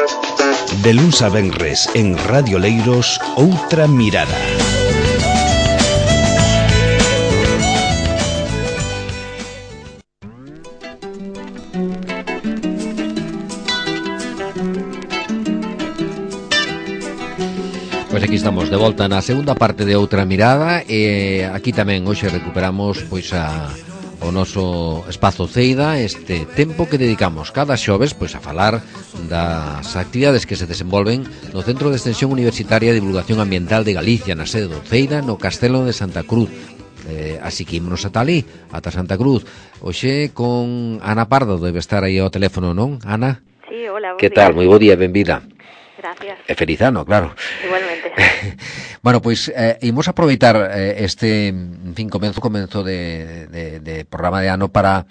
De luns a venres en Radio Leiros, Outra Mirada. Pois aquí estamos de volta na segunda parte de Outra Mirada e aquí tamén hoxe recuperamos pois o noso espazo Ceida, este tempo que dedicamos cada xoves pois a falar das actividades que se desenvolven no Centro de Extensión Universitaria de Divulgación Ambiental de Galicia, na sede do Ceida, no Castelo de Santa Cruz. Así que ímonos ata ali, ata Santa Cruz. Hoxe con Ana Pardo, debe estar aí ao teléfono, non, Ana? Sí, hola, que tal? Moi bo día, benvida. Gracias. E feliz ano, claro. Igualmente. Bueno, pois imos aproveitar este, en fin, comenzo de programa de ano para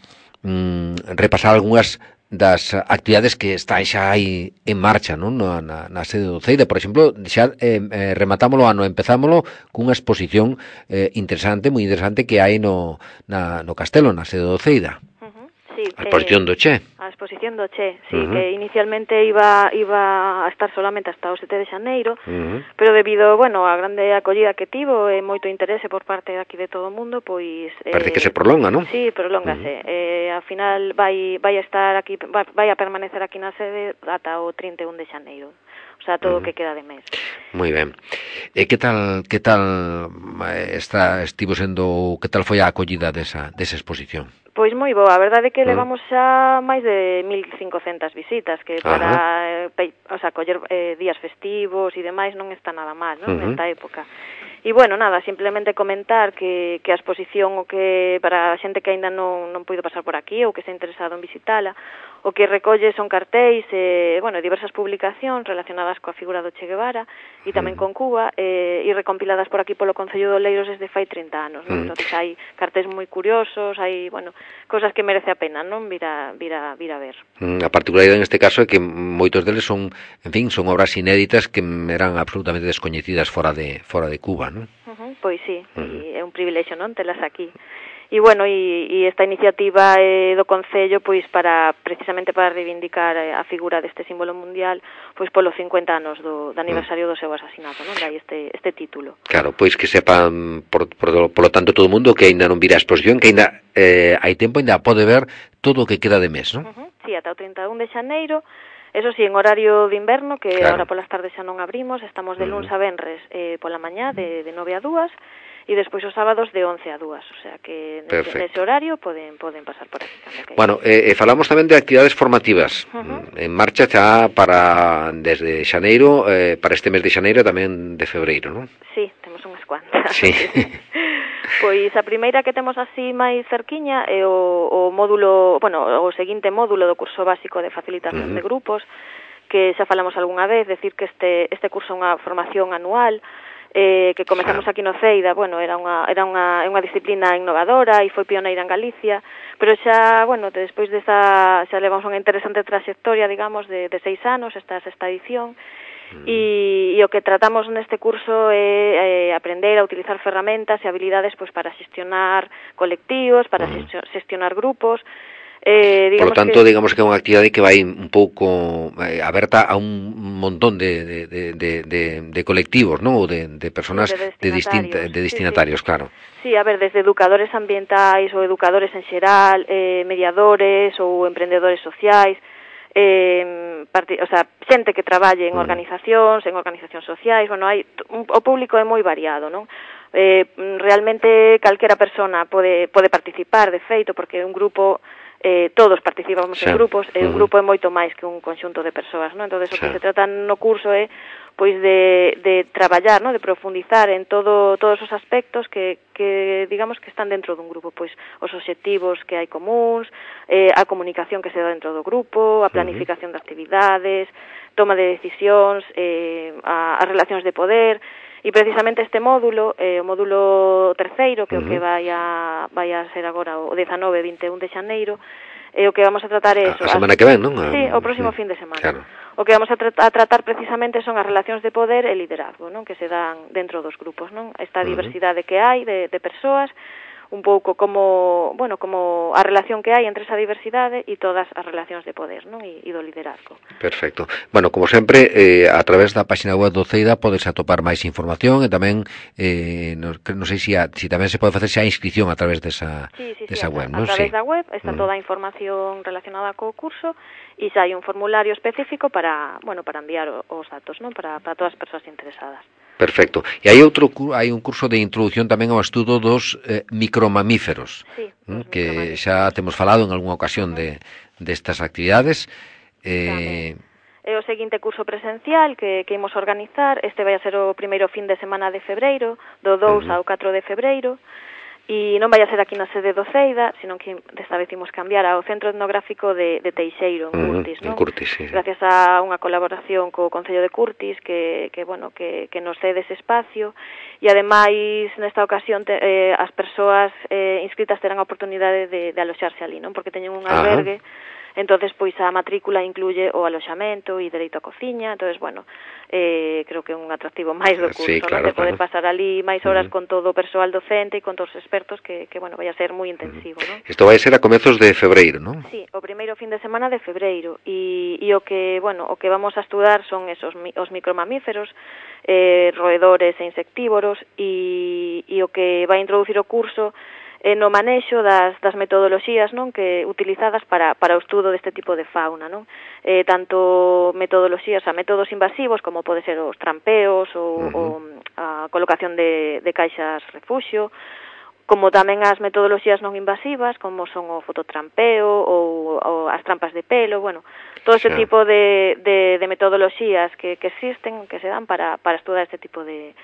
repasar algunhas das actividades que están xa aí en marcha, non? Na sede do Ceida. Por exemplo, xa rematámolo ano, empezámolo cunha exposición interesante, moi interesante, que hai no Castelo, na sede do Ceida. Sí, a exposición do Che. A exposición do Che, sí, que inicialmente iba a estar solamente hasta o 7 de xaneiro, pero debido, bueno, a grande acollida que tivo e moito interese por parte aquí de todo o mundo, pois parece que se prolonga, non? Sí, prolóngase. Ao final vai a estar aquí, vai a permanecer aquí na sede ata o 31 de xaneiro. O sea, todo o que queda de mes. Moi ben. E que tal estivo sendo, que tal foi a acollida desa exposición? Pois moi boa, a verdade é que levamos xa máis de 1.500 visitas, que para coller días festivos e demais non está nada mal, non? Nesta época. E, bueno, nada, simplemente comentar que a exposición, o que para a xente que aínda non puido pasar por aquí ou que está interesado en visitala, o que recolle son cartéis e, bueno, diversas publicacións relacionadas coa figura do Che Guevara e tamén con Cuba e recompiladas por aquí polo Concello de Oleiros desde fai 30 anos, non? Entón, hai cartéis moi curiosos, hai, bueno, cosas que merece a pena, non? Vir a ver. A particularidade neste caso é que moitos deles son, en fin, son obras inéditas que eran absolutamente descoñecidas fora de Cuba, non? Pois sí, é un privilexio, non? Telas aquí. E, bueno, e esta iniciativa do Concello, pois, precisamente para reivindicar a figura deste símbolo mundial, pois, polo 50 anos do aniversario do seu asasinato, non? Dai este título. Claro, pois que sepan, polo tanto, todo o mundo que aínda non vira a exposición, que aínda hai tempo, aínda pode ver todo o que queda de mes, non? Sí, ata o 31 de xaneiro. Eso sí, en horario de inverno, que agora polas tardes xa non abrimos, estamos de luns a venres pola mañá de 9 a 2, e despois os sábados de 11 a 2, o sea que nese horario poden pasar por aquí. Bueno, falamos tamén de actividades formativas en marcha xa desde xaneiro, para este mes de xaneiro e tamén de febreiro, non? Sí, temos unhas cuantas. Sí. Pois a primeira que temos así máis cerquiña é o módulo, bueno, o seguinte módulo do curso básico de facilitación de grupos, que xa falamos algunha vez, decir que este curso é unha formación anual, que comezamos aquí no Ceida. Bueno, era unha disciplina innovadora e foi pioneira en Galicia, pero xa, bueno, despois xa levamos unha interesante trayectoria, digamos, de 6 anos, esta sexta edición. E o que tratamos neste curso é aprender a utilizar ferramentas e habilidades pois para xestionar colectivos, para xestionar grupos. Por lo tanto, digamos que é unha actividade que vai un pouco aberta a un montón de colectivos, non? Ou de personas de destinatarios, claro. Sí, a ver, desde educadores ambientais ou educadores en xeral, mediadores ou emprendedores sociais, xente que traballe en organizacións sociais, bueno, o público é moi variado, non? Realmente calquera persona pode participar, de feito, porque un grupo, todos participamos en grupos, e un grupo é moito máis que un conxunto de persoas, non? Entón, o que se trata no curso é pois de traballar, ¿no? De profundizar en todos os aspectos que digamos que están dentro dun grupo, pois os obxectivos que hai comuns, a comunicación que se dá dentro do grupo, a planificación de actividades, toma de decisións, as relacións de poder. E precisamente este módulo, o módulo terceiro, que é o que vai a ser agora o 19 e 21 de xaneiro, o que vamos a tratar é eso. A semana que ven, non? Sí, o próximo fin de semana. Claro. O que vamos a tratar precisamente son as relacións de poder e liderazgo, non? Que se dan dentro dos grupos, non? Esta diversidade que hai de persoas, un pouco como a relación que hai entre esa diversidade e todas as relacións de poder, non? E do liderazgo. Perfecto. Bueno, como sempre, a través da página web do CEIDA podes atopar máis información e tamén non sei se tamén se pode facer xa a inscripción a través desa web, non? A través da web está toda a información relacionada co curso e xa hai un formulario específico para enviar os datos, non? Para todas as persoas interesadas. Perfecto. E hai un curso de introducción tamén ao estudo dos micromamíferos, que xa temos falado en algunha ocasión destas actividades. É o seguinte curso presencial que imos organizar. Este vai a ser o primeiro fin de semana de febreiro, do 2 ao 4 de febreiro, e non vai a ser aquí na sede do CEIDA, sino que desta vez imos cambiar ao Centro Etnográfico de Teixeiro, en Curtis, non? En Curtis, sí. Gracias a unha colaboración co Concello de Curtis que nos cede ese espacio, e ademais nesta ocasión as persoas inscritas terán a oportunidade de aloxarse ali, non? Porque teñen un albergue. Entonces, pois a matrícula incluye o aloxamento e dereito a cociña. Entonces, creo que é un atractivo máis do curso, sí, claro, de poder pasar ali máis horas con todo o persoal docente e con todos os expertos que vai a ser moi intensivo, non? Isto vai ser a comezos de febreiro, non? Sí, o primeiro fin de semana de febreiro, e o que vamos a estudar son os micromamíferos, roedores e insectívoros, e o que vai introducir o curso no manexo das metodoloxías, non, que utilizadas para o estudo deste tipo de fauna, non? Tanto metodoloxías, métodos invasivos como pode ser os trampeos ou a colocación de caixas refuxio, como tamén as metodoloxías non invasivas, como son o fototrampeo ou as trampas de pelo, todo este tipo de metodoloxías que existen, que se dan para estudar este tipo de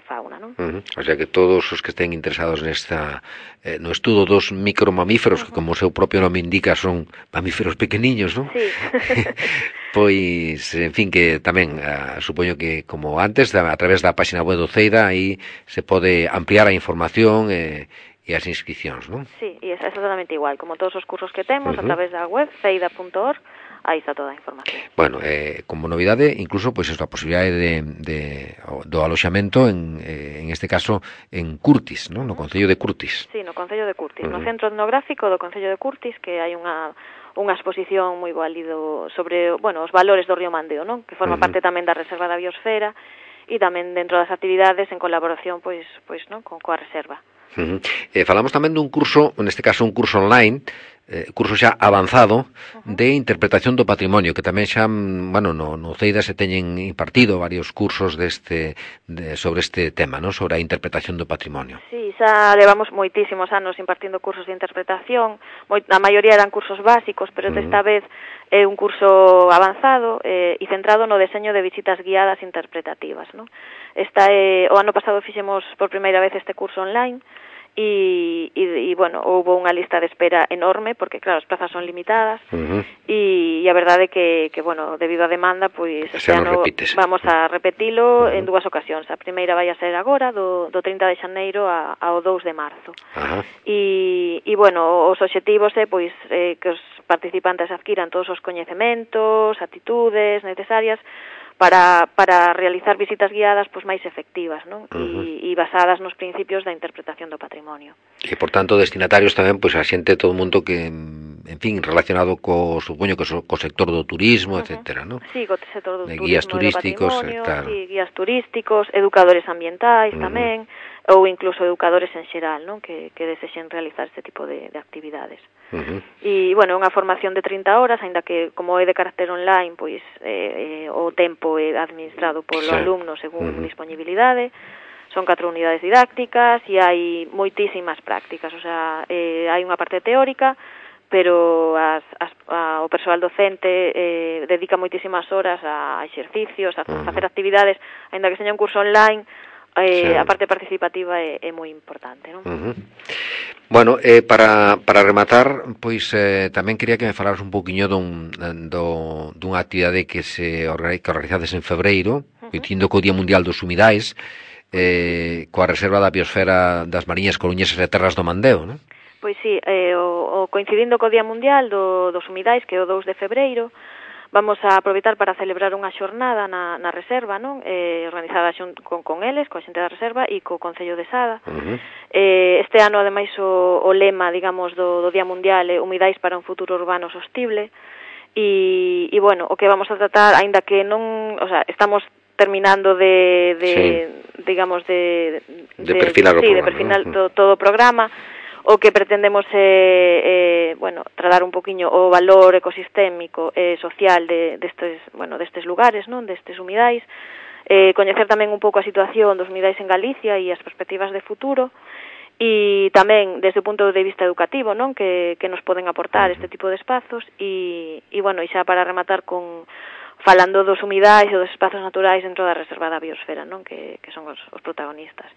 fauna, non? O sea que todos os que estén interesados no estudo dos micromamíferos, que como o seu propio nome indica son mamíferos pequeniños, non? Sí. Pois, en fin, que tamén supoño que como antes, a través da página web do CEIDA, aí se pode ampliar a información e as inscripcións, non? Sí, e é exactamente igual, como todos os cursos que temos, a través da web ceida.org, aí está toda a información. Bueno, como novidade, incluso, pois, a posibilidade do aloxamento, en este caso, en Curtis, non? No Concello de Curtis. Sí, no Concello de Curtis, no Centro Etnográfico do Concello de Curtis, que hai unha exposición moi válido sobre, os valores do río Mandeo, non? Que forma parte tamén da Reserva da Biosfera, e tamén dentro das actividades en colaboración, non, coa Reserva. Falamos tamén dun curso, neste caso un curso online, curso xa avanzado de interpretación do patrimonio, que tamén xa, no CEIDA se teñen impartido varios cursos sobre este tema, non? Sobre a interpretación do patrimonio. Sí, xa levamos moitísimos anos impartindo cursos de interpretación, a maioría eran cursos básicos, pero desta vez é un curso avanzado e centrado no deseño de visitas guiadas interpretativas, non? O ano pasado fixemos por primeira vez este curso online, e houve unha lista de espera enorme, porque claro, as plazas son limitadas, e a verdade é que debido á demanda, pois este ano vamos a repetilo en dúas ocasións. A primeira vai a ser agora, do 30 de xaneiro ao 2 de marzo. E os obxectivos é que os participantes adquiran todos os coñecementos, actitudes necesarias para realizar visitas guiadas máis efectivas, non? E basadas nos principios da interpretación do patrimonio. E, por tanto, destinatarios tamén, a xente, todo o mundo que, en fin, relacionado supoño que co sector do turismo, etcétera, non? Sí, co sector do turismo, guías turísticos, claro. Sí, guías turísticos, educadores ambientais tamén, ou incluso educadores en xeral, non? Que desexen realizar este tipo de actividades. E, unha formación de 30 horas, aínda que, como é de carácter online, o tempo é administrado polo alumno según disponibilidade. Son 4 unidades didácticas e hai moitísimas prácticas, hai unha parte teórica, pero o persoal docente dedica moitísimas horas a exercicios, a facer actividades, aínda que seña un curso online. A parte participativa é moi importante, non? Bueno, para rematar, tamén quería que me falaras un poquinho dunha actividade que organizades en febreiro, coincidindo co Día Mundial dos Humidais, coa Reserva da Biosfera das Mariñas Coruñesas e Terras do Mandeo, non? Pois sí, coincidindo co Día Mundial dos Humidais, que é o 2 de febreiro, vamos a aproveitar para celebrar unha xornada na reserva, non? Organizada con eles, coa xente da reserva e co Concello de Sada. Este ano, ademais, o lema, digamos, do Día Mundial é Humidais para un futuro urbano sostible. E bueno, o que vamos a tratar, aínda que non, o sea, estamos terminando digamos de perfilar de perfilar todo o programa. O que pretendemos é bueno, tratar un poquiño o valor ecosistémico e social destes lugares, non, destes humidais, coñecer tamén un pouco a situación dos humidais en Galicia e as perspectivas de futuro, e tamén desde o punto de vista educativo, non, que nos poden aportar este tipo de espazos, e bueno, e xa para rematar falando dos humidais e dos espazos naturais dentro da Reserva da Biosfera, non, que son os protagonistas.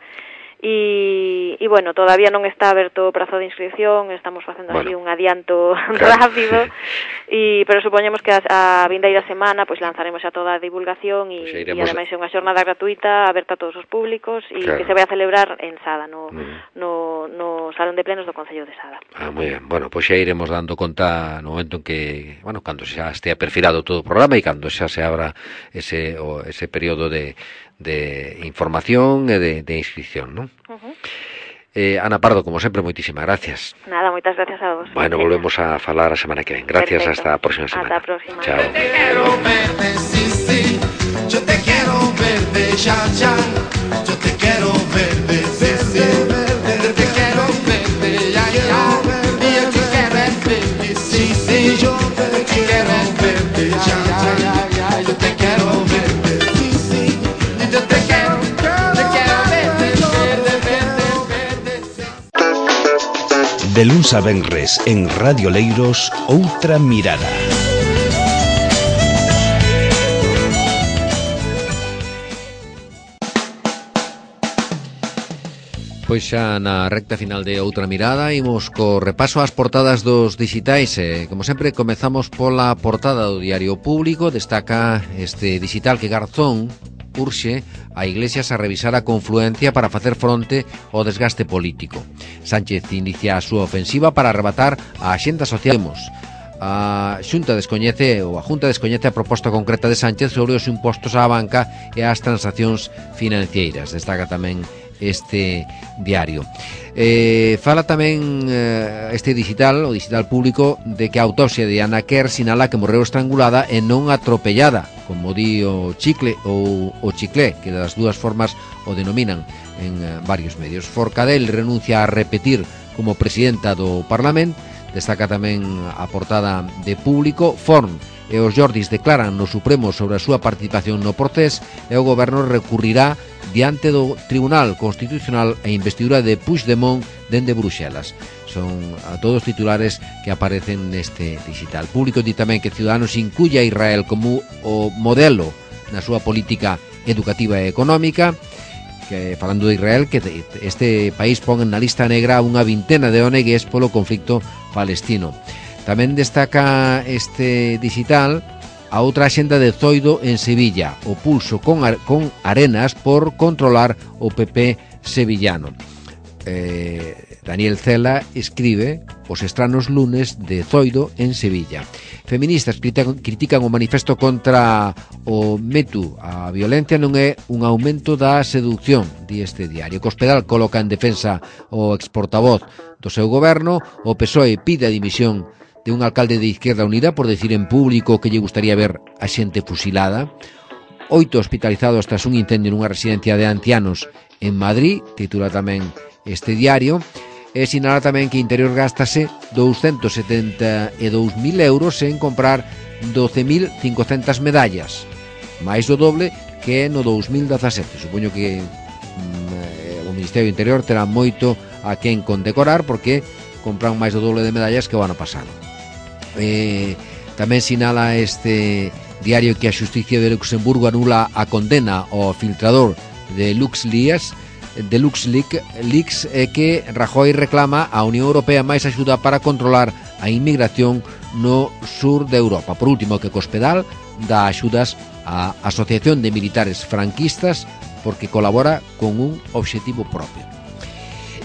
E bueno, todavía non está aberto o prazo de inscripción, estamos facendo así un adianto rápido, pero supoñemos que a vindeira semana pois lanzaremos xa toda a divulgación e ademais é unha xornada gratuita aberta a todos os públicos e que se vai a celebrar en Sada, no Salón de Plenos do Concello de Sada. Moi ben. Bueno, pois xa iremos dando conta no momento en que, bueno, cando xa estea perfilado todo o programa e cando xa se abra ese período de información e de inscripción, non? Ana Pardo, como sempre, moitísimas gracias. Nada, moitas gracias a vos. Bueno, volvemos a falar a semana que ven. Gracias, hasta a próxima semana. Hasta a próxima. Chao. Yo te quiero verde, sí, sí. Yo te quiero verde, ya, ya. Yo te quiero verde, sí, sí. Yo te quiero verde, ya, ya. Y yo te quiero verde, sí, sí. Yo te quiero verde, ya, ya. Yo te quiero verde, sí, sí. Yo te quiero verde, verde, verde, verde. De luns a venres en Radio Leiros, Outra Mirada. Pois xa na recta final de Outra Mirada imos co repaso ás portadas dos digitais. Como sempre, comezamos pola portada do Diario Público. Destaca este digital que Garzón urxe a Iglesias a revisar a confluencia para facer fronte ao desgaste político. Sánchez inicia a súa ofensiva para arrebatar a axenda social. A Xunta descoñece a proposta concreta de Sánchez sobre os impostos á banca e as transaccións financeiras. Destaca tamén este diario. Fala tamén este digital, o digital público, de que a autopsia de Ana Quer sinala que morreu estrangulada e non atropellada, como di o Chicle ou o Chiclé, que das dúas formas o denominan en varios medios. Forcadell renuncia a repetir como presidenta do Parlamento. Destaca tamén a portada de Público. Forn e os Jordis declaran no Supremo sobre a súa participación no procés e o goberno recurrirá diante do Tribunal Constitucional a investidura de Puigdemont dende Bruxelas. Son a todos titulares que aparecen neste digital. Público di tamén que Ciudadanos incluye a Israel como o modelo na súa política educativa e económica, que falando de Israel, que este país pon na lista negra unha vintena de ONGs polo conflicto palestino. Tamén destaca este digital a outra axenda de Zoido en Sevilla, o pulso con Arenas por controlar o PP sevillano. Daniel Cela escribe os estranos lunes de Zoido en Sevilla. Feministas critican o manifesto contra o Metu. A violencia non é un aumento da seducción, di este diario. Cospedal coloca en defensa o exportavoz do seu goberno. O PSOE pide a dimisión de un alcalde de Izquierda Unida por decir en público que lle gustaría ver a xente fusilada. 8 hospitalizados tras un incendio nunha residencia de ancianos en Madrid, titula tamén este diario. E sinala tamén que Interior gástase 272.000 euros en comprar 12.500 medallas, máis do doble que no 2017. Supoño que o Ministerio do Interior terá moito a quen condecorar, porque compran máis do doble de medallas que o ano pasado. Tamén sinala este diario que a Xusticia de Luxemburgo anula a condena ao filtrador de LuxLeaks e que Rajoy reclama á Unión Europea máis axuda para controlar a inmigración no sur de Europa. Por último, que Cospedal dá axudas á Asociación de Militares Franquistas porque colabora con un obxectivo propio.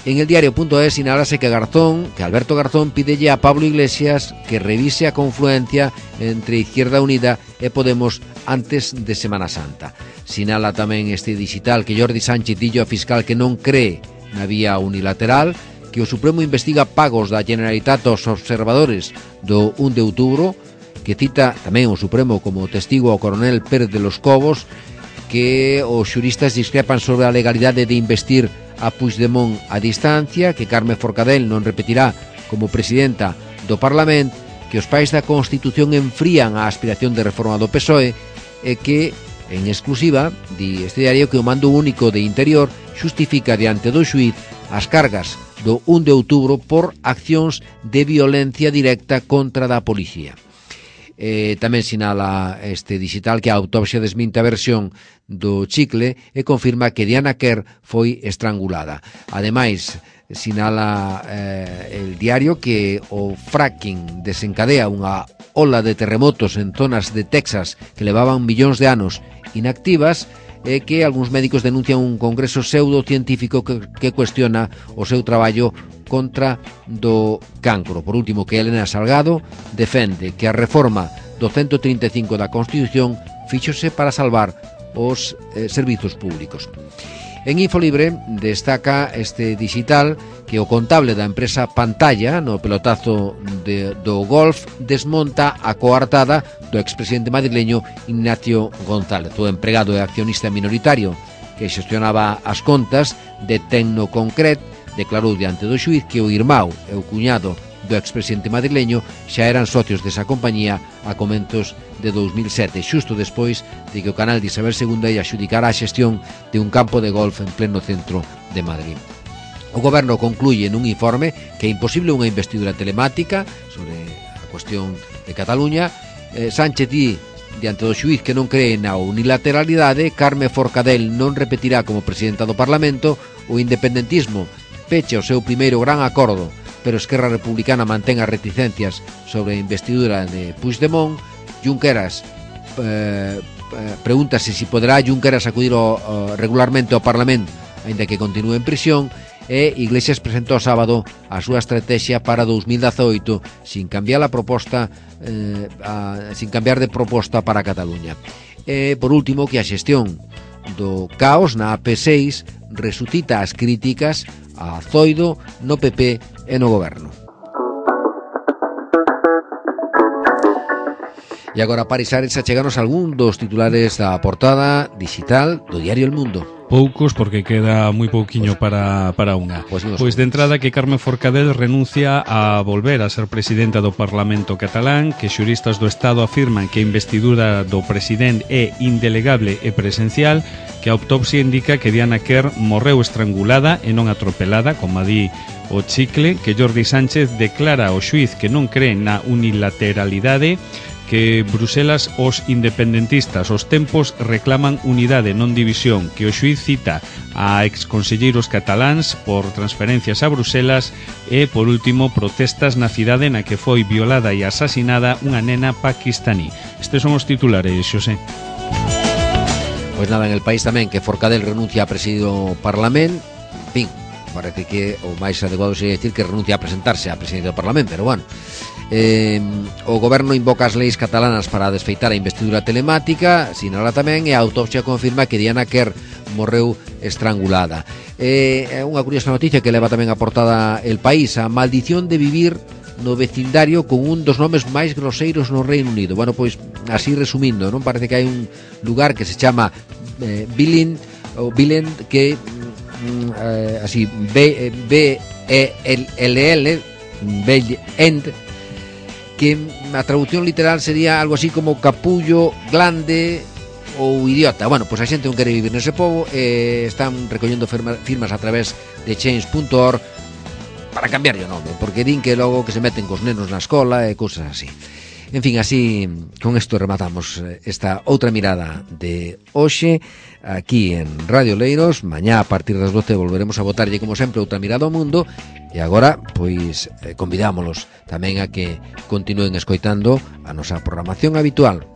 En el diario.es sinalase que Alberto Garzón pídelle a Pablo Iglesias que revise a confluencia entre Izquierda Unida e Podemos antes de Semana Santa. Sinala tamén este digital que Jordi Sánchez dillo a fiscal que non cree na vía unilateral, que o Supremo investiga pagos da Generalitat aos observadores do 1 de outubro, que cita tamén o Supremo como testigo ao coronel Pérez de los Cobos, que os xuristas discrepan sobre a legalidade de investir a Puigdemont a distancia, que Carme Forcadell non repetirá como presidenta do Parlamento, que os pais da Constitución enfrían a aspiración de reforma do PSOE e que, en exclusiva, di este diario que o mando único de Interior xustifica diante do xuíz as cargas do 1 de outubro por accións de violencia directa contra da policía. Tamén sinala este digital que a autopsia desminte a versión do chicle e confirma que Diana Kerr foi estrangulada. Ademais, sinala el diario que o fracking desencadea unha ola de terremotos en zonas de Texas que levaban millóns de anos inactivas e que algúns médicos denuncian un congreso pseudocientífico que cuestiona o seu traballo contra do cancro. Por último, que Elena Salgado defende que a reforma do 135 da Constitución fíxose para salvar os servizos públicos. En Infolibre destaca este digital que o contable da empresa Pantalla no pelotazo do golf desmonta a coartada do expresidente madrileño Ignacio González, o empregado e accionista minoritario que xestionaba as contas de Tecnoconcret. Declarou diante do xuíz que o irmão e o cuñado do expresidente madrileño xa eran socios desa compañía a comentos de 2007, xusto despois de que o canal de Isabel II ia adxudicara a xestión de un campo de golf en pleno centro de Madrid. O goberno concluye nun informe que é imposible unha investidura telemática sobre a cuestión de Cataluña. Sánchez di diante do xuíz que non cree na unilateralidade, Carme Forcadell non repetirá como presidenta do Parlamento, o independentismo peche o seu primeiro gran acordo, pero Esquerra Republicana mantén as reticencias sobre a investidura de Puigdemont. Junqueras pregúntase se poderá Junqueras acudir regularmente ao Parlamento aínda que continúe en prisión, e Iglesias presentou sábado a súa estrategia para 2018 sin cambiar de proposta para Cataluña. E por último, que a xestión do caos na AP6 resucita as críticas a Zoido no PP e no goberno. E agora, Parisares, acheganos algún dos titulares da portada digital do diario El Mundo. Poucos, porque queda moi pouquiño para unha. Pois de entrada que Carme Forcadell renuncia a volver a ser presidenta do Parlamento catalán, que xuristas do Estado afirman que a investidura do presidente é indelegable e presencial, que a autopsia indica que Diana Kerr morreu estrangulada e non atropelada, como di o chicle, que Jordi Sánchez declara ao xuíz que non cree na unilateralidade, que Bruselas os independentistas os tempos reclaman unidade, non división, que o xuíz cita a exconselleiros cataláns por transferencias a Bruselas e, por último, protestas na cidade na que foi violada e asasinada unha nena paquistaní. Estes son os titulares, Xosé. Pois nada, en El País tamén que Forcadell renuncia a presidir o Parlamento. En fin, parece que o máis adecuado sería decir que renuncia a presentarse a presidir o Parlamento, pero bueno. O goberno invoca as leis catalanas para desfeitar a investidura telemática, sinala tamén, e a autopsia confirma que Diana Kerr morreu estrangulada. É unha curiosa noticia que leva tamén a portada El País, a maldición de vivir no vecindario con un dos nomes máis groseiros no Reino Unido. Bueno, pois, así resumindo, non parece que hai un lugar que se chama Billend, que así B-E-L-L, Bellend, que a traducción literal sería algo así como capullo, glande ou idiota. Bueno, pois a xente non quere vivir nese pobo, están recollendo firmas a través de change.org para cambiar o nome, porque din que logo que se meten cos nenos na escola e cousas así. En fin, así, con isto rematamos esta outra mirada de hoxe aquí en Radio Leiros. Mañá a partir das 12 volveremos a botarlle como sempre outra mirada ao mundo. E agora, pois, convidámolos tamén a que continúen escoitando a nosa programación habitual.